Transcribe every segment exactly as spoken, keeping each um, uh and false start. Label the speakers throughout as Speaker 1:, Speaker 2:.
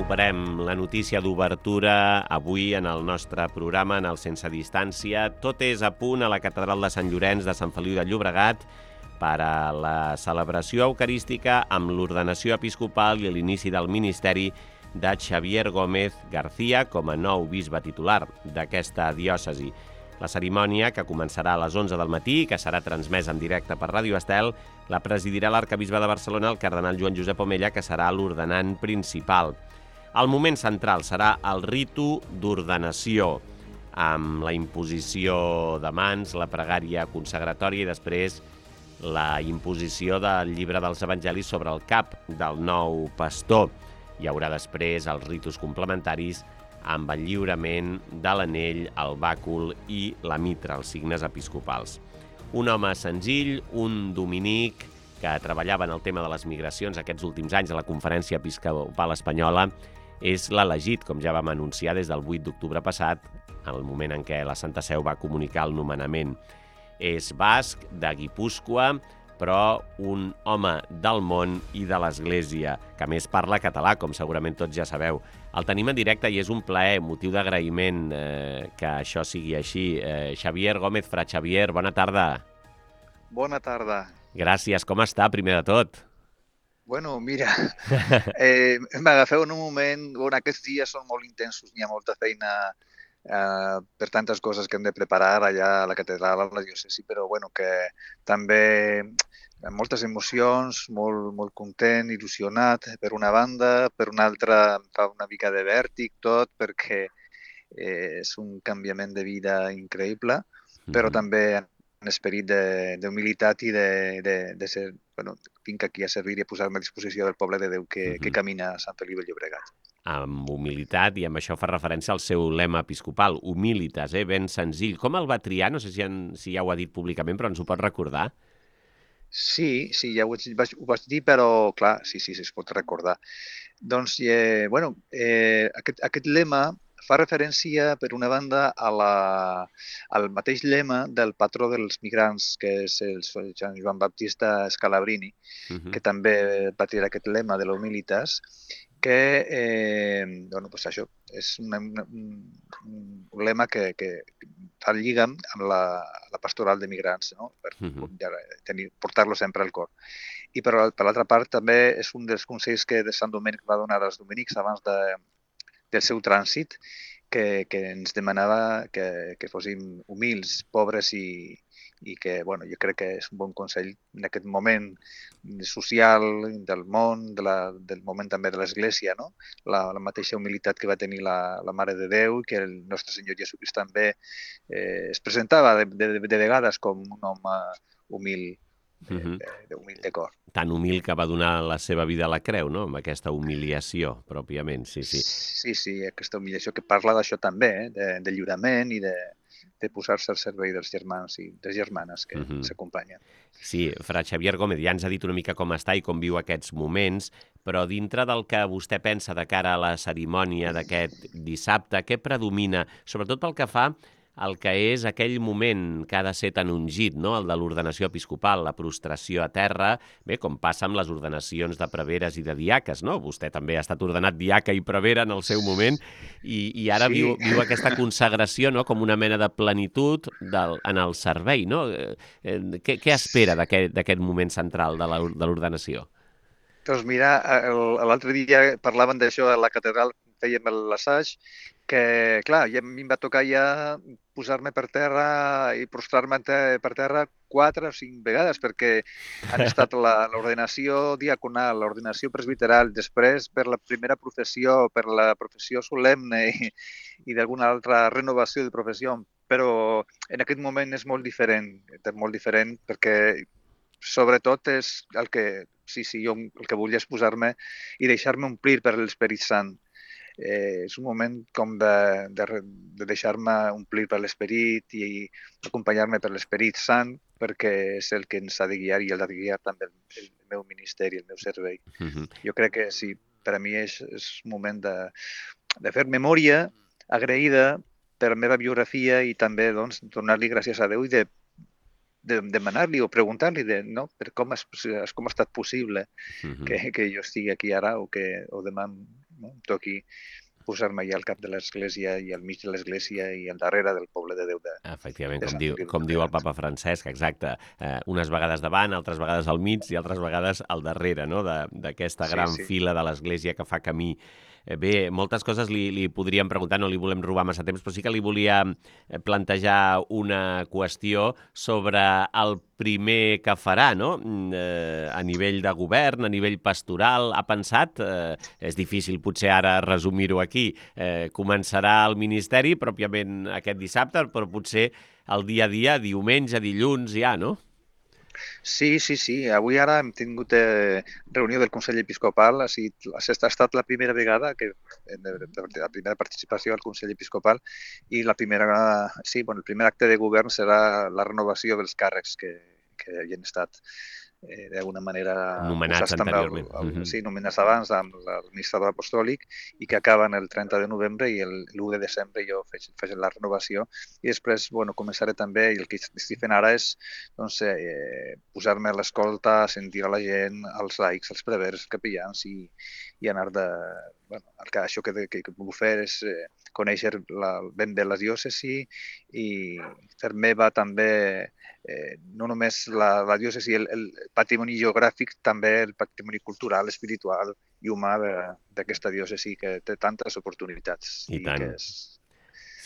Speaker 1: recuperem la notícia d'obertura avui en el nostre programa, en el Sense Distància. Tot és a punt a la Catedral de Sant Llorenç de Sant Feliu de Llobregat per a la celebració eucarística amb l'ordenació episcopal i l'inici del ministeri de Xavier Gómez García com a nou bisbe titular d'aquesta diòcesi. La cerimònia, que començarà a les onze del matí i que serà transmesa en directe per Ràdio Estel, la presidirà l'arcabisbe de Barcelona, el cardenal Joan Josep Omella, que serà l'ordenant principal. El moment central serà el ritu d'ordenació, amb la imposició de mans, la pregària consagratòria i després la imposició del llibre dels evangelis sobre el cap del nou pastor. Hi haurà després els ritus complementaris amb el lliurament de l'anell, el bàcul i la mitra, els signes episcopals. Un home senzill, un dominic que treballava en el tema de les migracions aquests últims anys a la Conferència Episcopal Espanyola, és l'elegit, com ja vam anunciar des del vuit d'octubre passat, en el moment en què la Santa Seu va comunicar el nomenament. És basc, de Guipúscoa, però un home del món i de l'Església, que a més parla català, com segurament tots ja sabeu. El tenim en directe i és un plaer, motiu d'agraïment eh, que això sigui així. Eh, Xavier Gómez, fra Xavier, bona tarda.
Speaker 2: Bona tarda.
Speaker 1: Gràcies, com està, primer de tot?
Speaker 2: Bueno, mira, eh, m'agafeu en un moment, bueno, aquests dies són molt intensos, n'hi ha molta feina eh, per tantes coses que hem de preparar allà a la catedral, a la diòcesi, però bueno, que també amb moltes emocions, molt, molt content, il·lusionat per una banda, per una altra em fa una mica de vèrtic tot, perquè eh, és un canviament de vida increïble, però
Speaker 1: Mhm.
Speaker 2: també en esperit d'humilitat i de, de, de ser, bueno, vinc aquí a servir i a posar-me a disposició del poble de Déu que, que
Speaker 1: Mhm.
Speaker 2: camina a Sant Feliu de Llobregat.
Speaker 1: Amb humilitat, i amb això fa referència al seu lema episcopal, humilitas, eh? Ben senzill. Com el va triar? No sé si, en, si ja ho ha dit públicament, però ens ho pot recordar?
Speaker 2: Sí, sí, ja ho vaig, ho vaig dir, però clar, sí, sí, sí, es pot recordar. Doncs, eh, bueno, eh, aquest, aquest lema fa referència, per una banda, a la, al mateix lema del patró dels migrants, que és el Sant Joan Baptista Scalabrini,
Speaker 1: Mhm.
Speaker 2: que també va tirar aquest lema de la humilitas, que, eh, bueno, pues això, és una, una, un, un lema que, que fa el lligam amb la, la pastoral de migrants, no? Per
Speaker 1: Mhm.
Speaker 2: tenir, portar-lo sempre al cor. I per, per l'altra part també és un dels consells que de Sant Domènec va donar als dominics abans de, del seu trànsit, que, que ens demanava que, que fóssim humils, pobres i, i que, bueno, jo crec que és un bon consell en aquest moment social del món, de la, del moment també de l'Església, no? La, la mateixa humilitat que va tenir la, la Mare de Déu i que el nostre Senyor Jesucrist també eh, es presentava de, de, de vegades com un home humil,
Speaker 1: Mhm.
Speaker 2: eh, humil de cor.
Speaker 1: Tan humil que va donar la seva vida a la creu, no? Amb aquesta humiliació, pròpiament, sí, sí.
Speaker 2: Sí, sí, aquesta humiliació que parla d'això també, eh? de, de lliurament i de, de posar-se al servei dels germans i les germanes que
Speaker 1: Mhm.
Speaker 2: s'acompanyen.
Speaker 1: Sí, fra Xavier Gómez ja ens ha dit una mica com està i com viu aquests moments, però dintre del que vostè pensa de cara a la cerimònia d'aquest dissabte, què predomina, sobretot pel que fa al que és aquell moment que ha de ser tan ungit, no? El de l'ordenació episcopal, la prostració a terra, bé, com passa amb les ordenacions de preveres i de diaques, no? Vostè també ha estat ordenat diaca i prevera en el seu moment i, i ara
Speaker 2: Sí,
Speaker 1: viu, viu aquesta consagració, no? Com una mena de plenitud del, en el servei, no? Eh, eh, què, què espera d'aquest d'aquest moment central de la- de l'ordenació?
Speaker 2: doncs mira, el- l'altre dia parlaven d'això a la catedral, fèiem l'assaig, que, clar, ja a mi em va tocar ja posar-me per terra i prostrar-me te- per terra quatre o cinc vegades, perquè han estat la- l'ordenació diaconal, l'ordenació presbiteral, després per la primera professió, per la professió solemne i, i d'alguna altra renovació de professió, però en aquest moment és molt diferent, és molt diferent perquè sobretot és el que, sí, sí, jo el que volia és posar-me i deixar-me omplir per l'Esperit Sant. Eh, és un moment com de, de, de deixar-me omplir per l'Esperit i acompanyar-me per l'Esperit Sant, perquè és el que ens ha de guiar i el ha de guiar també el, el meu ministeri, el meu servei.
Speaker 1: Mhm.
Speaker 2: Jo crec que sí, per a mi és, és un moment de, de fer memòria agraïda per la meva biografia i també doncs, donar-li gràcies a Déu i de de demanar-li o preguntar-li de, no, per com, és, com ha estat possible
Speaker 1: Mhm.
Speaker 2: que, que jo estigui aquí ara o que o demà no? Em toqui posar-me allà al cap de l'església i al mig de l'església i al darrere del poble de Déu de,
Speaker 1: Efectivament,
Speaker 2: de
Speaker 1: com
Speaker 2: Sant
Speaker 1: diu,
Speaker 2: Feliu de
Speaker 1: com diu el
Speaker 2: Llobregat.
Speaker 1: papa Francesc, exacte. Eh, unes vegades davant, altres vegades al mig i altres vegades al darrere, no?, de- d'aquesta
Speaker 2: Sí,
Speaker 1: gran
Speaker 2: sí.
Speaker 1: fila de l'església que fa camí. Eh, Bé, moltes coses li, li podríem preguntar, no li volem robar massa temps, però sí que li volia eh, plantejar una qüestió sobre el primer que farà, no?, Mm, eh, a nivell de govern, a nivell pastoral. Ha pensat, eh, és difícil potser ara resumir-ho aquí, eh, començarà el ministeri pròpiament aquest dissabte, però potser el dia a dia, diumenge, dilluns, ja, no?
Speaker 2: Sí, sí, sí. Avui ara hem tingut eh, reunió del Consell Episcopal. Ha, sigut, ha estat la primera vegada que eh, de, de, de la primera participació al Consell Episcopal i la primera, sí, bueno, el primer acte de govern serà la renovació dels càrrecs que, que havien estat eh, d'alguna manera
Speaker 1: Nomenats
Speaker 2: posats també al,
Speaker 1: anteriorment.
Speaker 2: al,
Speaker 1: Mhm.
Speaker 2: sí, nomenats abans amb l'administrador apostòlic i que acaben el trenta de novembre i l'u de desembre jo faig, faig la renovació i després bueno, començaré també, i el que estic fent ara és doncs, eh, posar-me a l'escolta, sentir a la gent, als laics, als prevers, capellans i, i anar de... Bueno, el que, això que, que, que puc fer és eh, conèixer la, ben bé la diòcesi i fer meva també eh, no només la, la diòcesi, el, el patrimoni geogràfic, també el patrimoni cultural, espiritual i humà d'aquesta diòcesi que té tantes oportunitats
Speaker 1: I
Speaker 2: i
Speaker 1: tant.
Speaker 2: que és,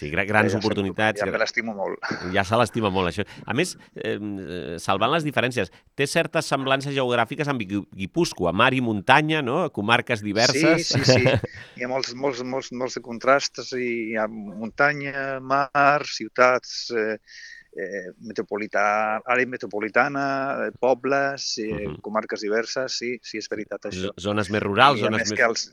Speaker 1: Sí, gra-
Speaker 2: que
Speaker 1: grans
Speaker 2: ja,
Speaker 1: oportunitats.
Speaker 2: ja
Speaker 1: gra-
Speaker 2: me l'estimo molt.
Speaker 1: Ja se l'estima molt, això. A més, eh, eh, salvant les diferències, té certes semblances geogràfiques amb Guipú- Guipúscoa, mar i muntanya, no?, comarques
Speaker 2: Sí,
Speaker 1: diverses.
Speaker 2: sí, sí. Hi ha molts, molts, molts, molts de contrastes. I hi ha muntanya, mar, ciutats, eh, eh, metropolità, àrea metropolitana, eh, pobles, eh,
Speaker 1: Mhm.
Speaker 2: comarques diverses. Sí, sí, és veritat
Speaker 1: Z-
Speaker 2: això.
Speaker 1: Zones més rurals,
Speaker 2: I a
Speaker 1: zones
Speaker 2: més
Speaker 1: més...
Speaker 2: que els...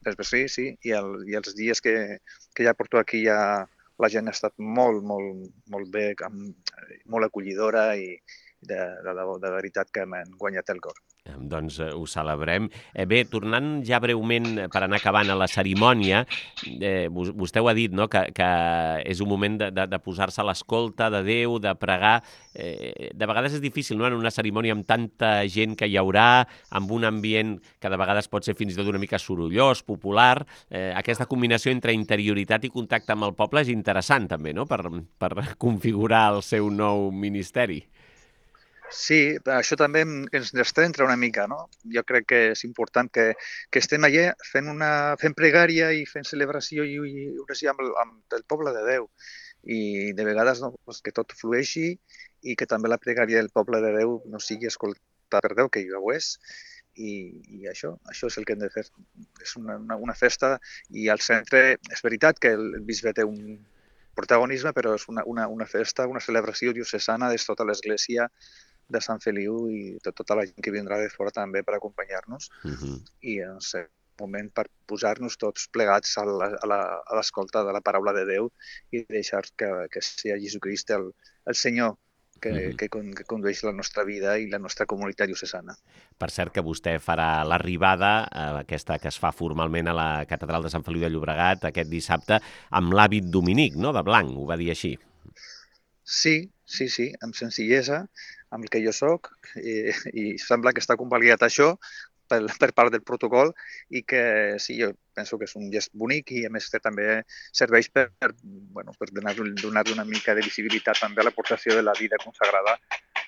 Speaker 2: Després, sí, sí, i, el, i els dies que, que ja porto aquí ja la gent ha estat molt, molt, molt bé, amb, molt acollidora i de, de, de, de veritat que m'han guanyat el cor.
Speaker 1: Eh, Doncs eh, ho celebrem. Eh, bé, tornant ja breument, eh, per anar acabant a la cerimònia, eh, vos- vostè ho ha dit, no?, que, que és un moment de, de, de posar-se a l'escolta de Déu, de pregar. Eh, de vegades és difícil, no?, en una cerimònia amb tanta gent que hi haurà, amb un ambient que de vegades pot ser fins i tot una mica sorollós, popular. Eh, aquesta combinació entre interioritat i contacte amb el poble és interessant, també, no?, per, per configurar el seu nou ministeri.
Speaker 2: Sí, això també em- ens descentra una mica, no? Jo crec que és important que, que estem allà fent, una, fent pregària i fent celebració i, i oració amb, el, amb el poble de Déu. I de vegades no, pues, que tot flueixi i que també la pregària del poble de Déu no sigui escoltada per Déu, que ja ho és. I, i això, això és el que hem de fer. És una, una, una festa i al centre és veritat que el, el bisbe té un protagonisme, però és una, una, una festa, una celebració diocesana de tota l'església de Sant Feliu i de tota la gent que vindrà de fora també per acompanyar-nos
Speaker 1: Mhm.
Speaker 2: i en un moment per posar-nos tots plegats a la- a la- a l'escolta de la paraula de Déu i deixar que, que sigui Jesucrist el, el Senyor que,
Speaker 1: Mhm.
Speaker 2: que, con- que condueix la nostra vida i la nostra comunitat diocesana.
Speaker 1: Per cert, que vostè farà l'arribada, eh, aquesta que es fa formalment a la Catedral de Sant Feliu de Llobregat aquest dissabte, amb l'hàbit dominic, no?, de blanc, ho va dir així.
Speaker 2: Sí, sí, sí, amb senzillesa, amb el que jo sóc, i, i sembla que està convalidat això per, per part del protocol i que sí, jo penso que és un gest bonic i a més que també serveix per, per, bueno, per donar, donar una mica de visibilitat també a l'aportació de la vida consagrada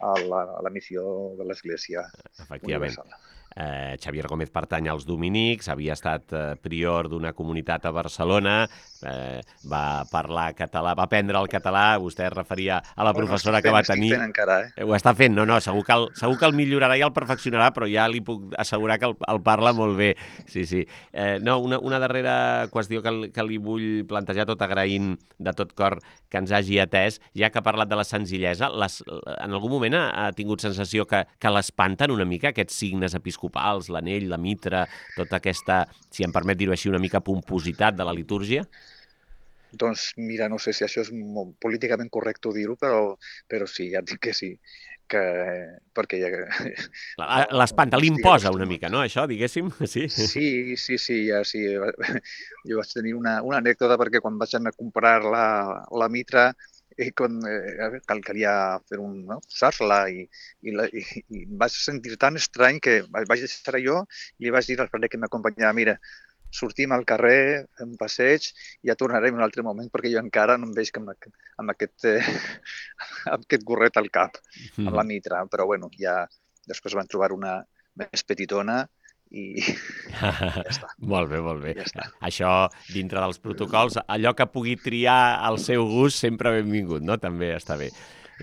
Speaker 2: a la, a la missió de l'Església
Speaker 1: Efectivament.
Speaker 2: Universal.
Speaker 1: Eh, Xavier Gómez pertany als dominics, havia estat eh, prior d'una comunitat a Barcelona, eh, va parlar català, va aprendre el català, vostè es referia a la
Speaker 2: Bueno,
Speaker 1: professora
Speaker 2: estic
Speaker 1: que
Speaker 2: fent,
Speaker 1: va
Speaker 2: estic
Speaker 1: tenir.
Speaker 2: fent encara, eh?
Speaker 1: Eh, Ho està fent, no, no, segur que el, segur que el millorarà i el perfeccionarà, però ja li puc assegurar que el, el parla molt bé. Sí, sí. Eh, no, una, una darrera qüestió que, li- que li vull plantejar, tot agraint de tot cor que ens hagi atès, ja que ha parlat de la senzillesa, les, en algun moment ha, ha tingut sensació que, que l'espanten una mica aquests signes episcopals, l'anell, la mitra, tota aquesta, si em permet dir-ho així, una mica pompositat de la litúrgia?
Speaker 2: Doncs mira, no sé si això és molt políticament correcte dir-ho, però, però sí, ja et dic que sí, que, perquè ja,
Speaker 1: La-
Speaker 2: no,
Speaker 1: L'espanta,
Speaker 2: no estic
Speaker 1: l'imposa una mica,
Speaker 2: acostumat.
Speaker 1: no, això, diguéssim? Sí.
Speaker 2: Sí, sí, sí, ja sí. Jo vaig tenir una, una anècdota perquè quan vaig anar a comprar la, la mitra i quan eh, cal, calia fer un, no? posar-la i, i, la, i, i em vaig sentir tan estrany que vaig deixar jo i li vaig dir al frare que m'acompanyava, mira, sortim al carrer, fem un passeig i ja tornarem en un altre moment perquè jo encara no em veig amb aquest, amb aquest, eh, amb aquest gorret al cap, amb la mitra. Però bueno, ja després van trobar una més petitona i, i ja està.
Speaker 1: Molt bé, molt bé.
Speaker 2: Ja està.
Speaker 1: Això, dintre dels protocols, allò que pugui triar al seu gust sempre benvingut, no? També està bé.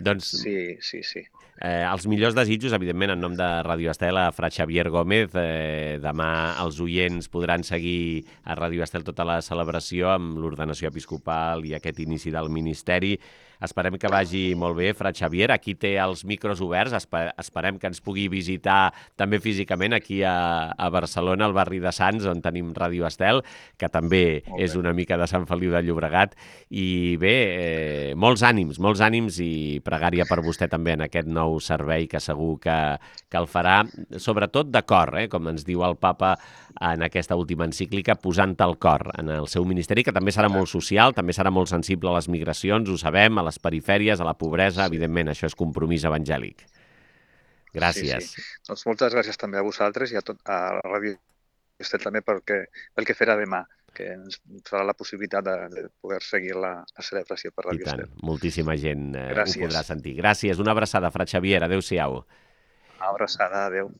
Speaker 1: Doncs,
Speaker 2: sí, sí, sí.
Speaker 1: Eh, els millors desitjos, evidentment, en nom de Ràdio Estel, a Fra Xavier Gómez. Eh, demà els oients podran seguir a Ràdio Estel tota la celebració amb l'ordenació episcopal i aquest inici del ministeri. Esperem que vagi molt bé, Fra Xavier. Aquí té els micros oberts. Espe esperem que ens pugui visitar també físicament aquí a, a Barcelona, al barri de Sants, on tenim Ràdio Estel, que també és una mica de Sant Feliu de Llobregat. I bé, eh, molts ànims, molts ànims i pregària per vostè també en aquest nou servei que segur que, que el farà, sobretot de cor, eh, com ens diu el papa en aquesta última encíclica, posant el cor en el seu ministeri, que també serà molt social, també serà molt sensible a les migracions, ho sabem, a les perifèries, a la pobresa, sí. Evidentment, això és compromís evangèlic. Gràcies.
Speaker 2: Sí, sí. Doncs moltes gràcies també a vosaltres i a, tot, a la Ràdio Estel també pel que, pel que farà demà, que ens farà la possibilitat de, de poder seguir la, la celebració per Ràdio Estel.
Speaker 1: Moltíssima gent eh, ho podrà sentir. Gràcies, una abraçada, Fra Xavier, adéu-siau.
Speaker 2: Una abraçada, adéu.